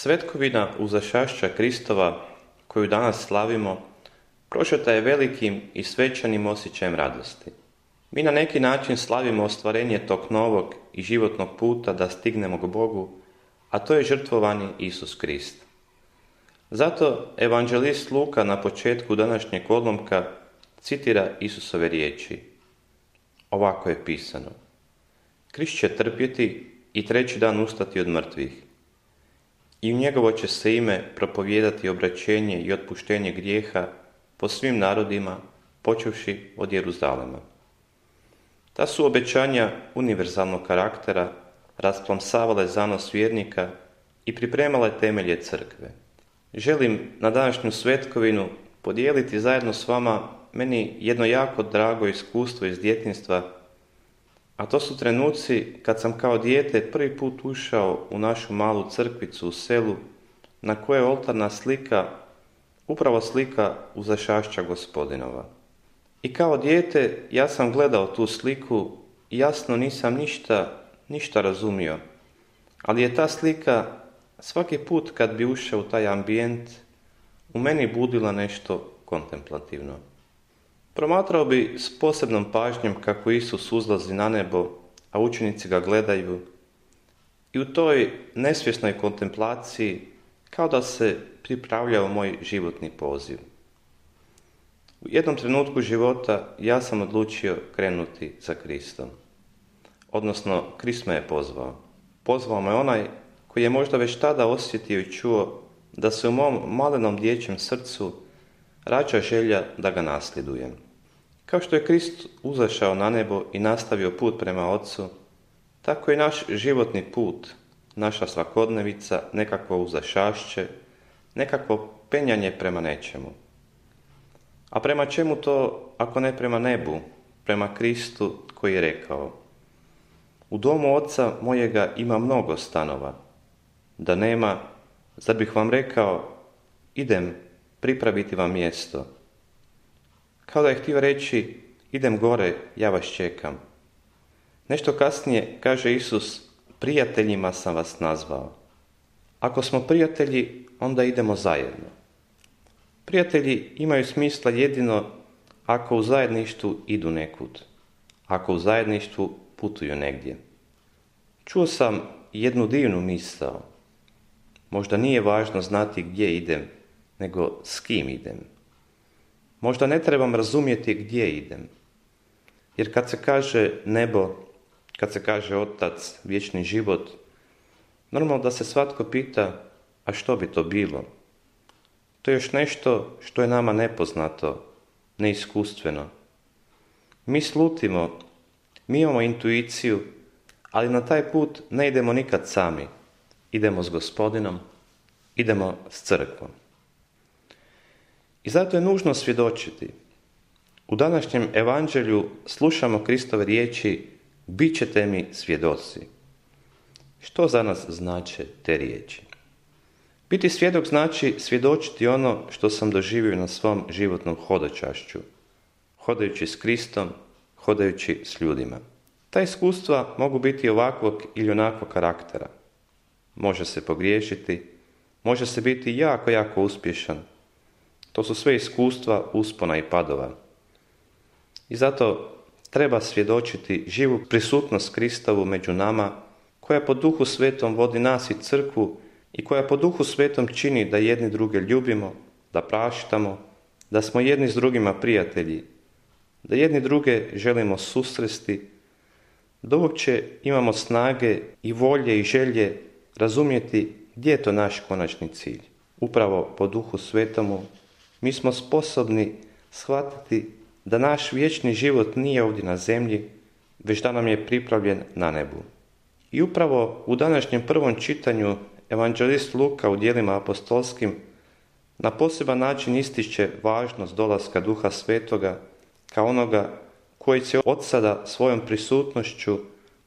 Svetkovina uzašašća Kristova, koju danas slavimo, prožeta je velikim i svečanim osjećajem radosti. Mi na neki način slavimo ostvarenje tog novog i životnog puta da stignemo k Bogu, a to je žrtvovani Isus Krist. Zato evanđelist Luka na početku današnjeg odlomka citira Isusove riječi. Ovako je pisano: Krist će trpjeti i treći dan ustati od mrtvih. I u njegovo će se ime propovijedati obraćenje i otpuštenje grijeha po svim narodima, počevši od Jeruzalema. Ta su obećanja univerzalnog karaktera rasplamsavale zanos vjernika i pripremale temelje crkve. Želim na današnju svetkovinu podijeliti zajedno s vama meni jedno jako drago iskustvo iz djetinjstva, a to su trenuci kad sam kao dijete prvi put ušao u našu malu crkvicu u selu, na kojoj je oltarna slika, upravo slika uzašašća Gospodinova. I kao dijete ja sam gledao tu sliku i jasno nisam ništa razumio, ali je ta slika svaki put kad bi ušao u taj ambijent u meni budila nešto kontemplativno. Promatrao bi s posebnom pažnjom kako Isus uzlazi na nebo, a učenici ga gledaju, i u toj nesvjesnoj kontemplaciji kao da se pripravljao moj životni poziv. U jednom trenutku života ja sam odlučio krenuti za Kristom. Odnosno, Krist me je pozvao. Pozvao me onaj koji je možda već tada osjetio i čuo da se u mom malenom dječjem srcu rađa želja da ga nasljedujem. Kao što je Krist uzašao na nebo i nastavio put prema Otcu, tako i naš životni put, naša svakodnevica, nekakvo uzašašće, nekakvo penjanje prema nečemu. A prema čemu to, ako ne prema nebu, prema Kristu koji je rekao: U domu Oca mojega ima mnogo stanova. Da nema, zar bih vam rekao, idem pripraviti vam mjesto. Kao da je htio reći, idem gore, ja vas čekam. Nešto kasnije kaže Isus, prijateljima sam vas nazvao. Ako smo prijatelji, onda idemo zajedno. Prijatelji imaju smisla jedino ako u zajedništvu idu nekud, ako u zajedništvu putuju negdje. Čuo sam jednu divnu misao. Možda nije važno znati gdje idem, nego s kim idem. Možda ne trebam razumjeti gdje idem. Jer kad se kaže nebo, kad se kaže Otac, vječni život, normalno da se svatko pita, a što bi to bilo? To je još nešto što je nama nepoznato, neiskustveno. Mi slutimo, mi imamo intuiciju, ali na taj put ne idemo nikad sami. Idemo s Gospodinom, idemo s crkvom. I zato je nužno svjedočiti. U današnjem evanđelju slušamo Kristove riječi: bit ćete mi svjedoci. Što za nas znače te riječi? Biti svjedok znači svjedočiti ono što sam doživio na svom životnom hodočašću, hodajući s Kristom, hodajući s ljudima. Ta iskustva mogu biti ovakvog ili onakvog karaktera. Može se pogriješiti, može se biti jako uspješan. To su sve iskustva uspona i padova. I zato treba svjedočiti živu prisutnost Kristovu među nama, koja po Duhu Svetom vodi nas i crkvu i koja po Duhu Svetom čini da jedni druge ljubimo, da praštamo, da smo jedni s drugima prijatelji, da jedni druge želimo susresti, da uopće imamo snage i volje i želje razumjeti gdje je to naš konačni cilj. Upravo po Duhu Svetomu mi smo sposobni shvatiti da naš vječni život nije ovdje na zemlji, već da nam je pripravljen na nebu. I upravo u današnjem prvom čitanju evanđelist Luka u djelima apostolskim na poseban način ističe važnost dolaska Duha Svetoga kao onoga koji će od sada svojom prisutnošću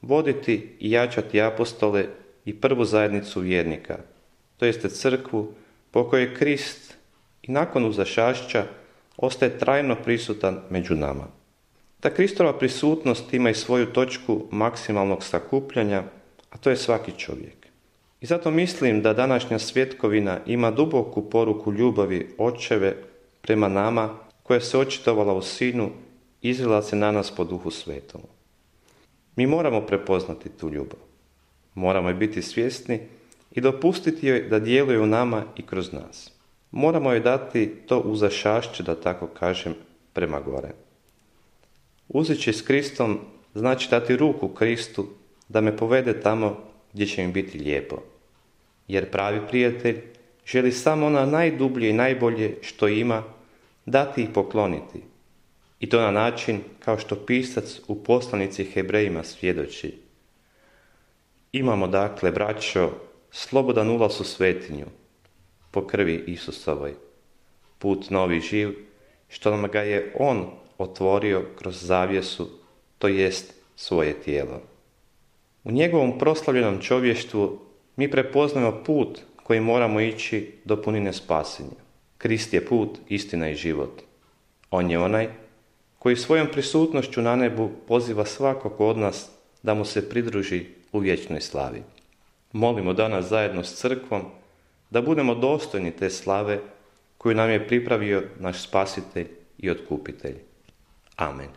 voditi i jačati apostole i prvu zajednicu vjernika, to jeste crkvu po kojoj Krist i nakon uzašašća ostaje trajno prisutan među nama. Ta Kristova prisutnost ima i svoju točku maksimalnog sakupljanja, a to je svaki čovjek. I zato mislim da današnja svjetkovina ima duboku poruku ljubavi Očeve prema nama, koja se očitovala u Sinu, izlila se na nas po Duhu Svetom. Mi moramo prepoznati tu ljubav. Moramo je biti svjesni i dopustiti joj da djeluje u nama i kroz nas. Moramo joj dati to uzašašće, da tako kažem, prema gore. Uzeći s Kristom znači dati ruku Kristu da me povede tamo gdje će mi biti lijepo. Jer pravi prijatelj želi samo ono najdublje i najbolje što ima dati i pokloniti. I to na način kao što pisac u poslanici Hebrejima svjedoči. Imamo dakle, braćo, slobodan ulaz u svetinju, po krvi Isusovoj, put novi živ, što nam ga je On otvorio kroz zavjesu, to jest svoje tijelo. U njegovom proslavljenom čovještvu mi prepoznajemo put koji moramo ići do punine spasenja. Krist je put, istina i život. On je onaj koji svojom prisutnošću na nebu poziva svakog od nas da mu se pridruži u vječnoj slavi. Molimo danas zajedno s crkvom da budemo dostojni te slave koju nam je pripravio naš Spasitelj i Otkupitelj. Amen.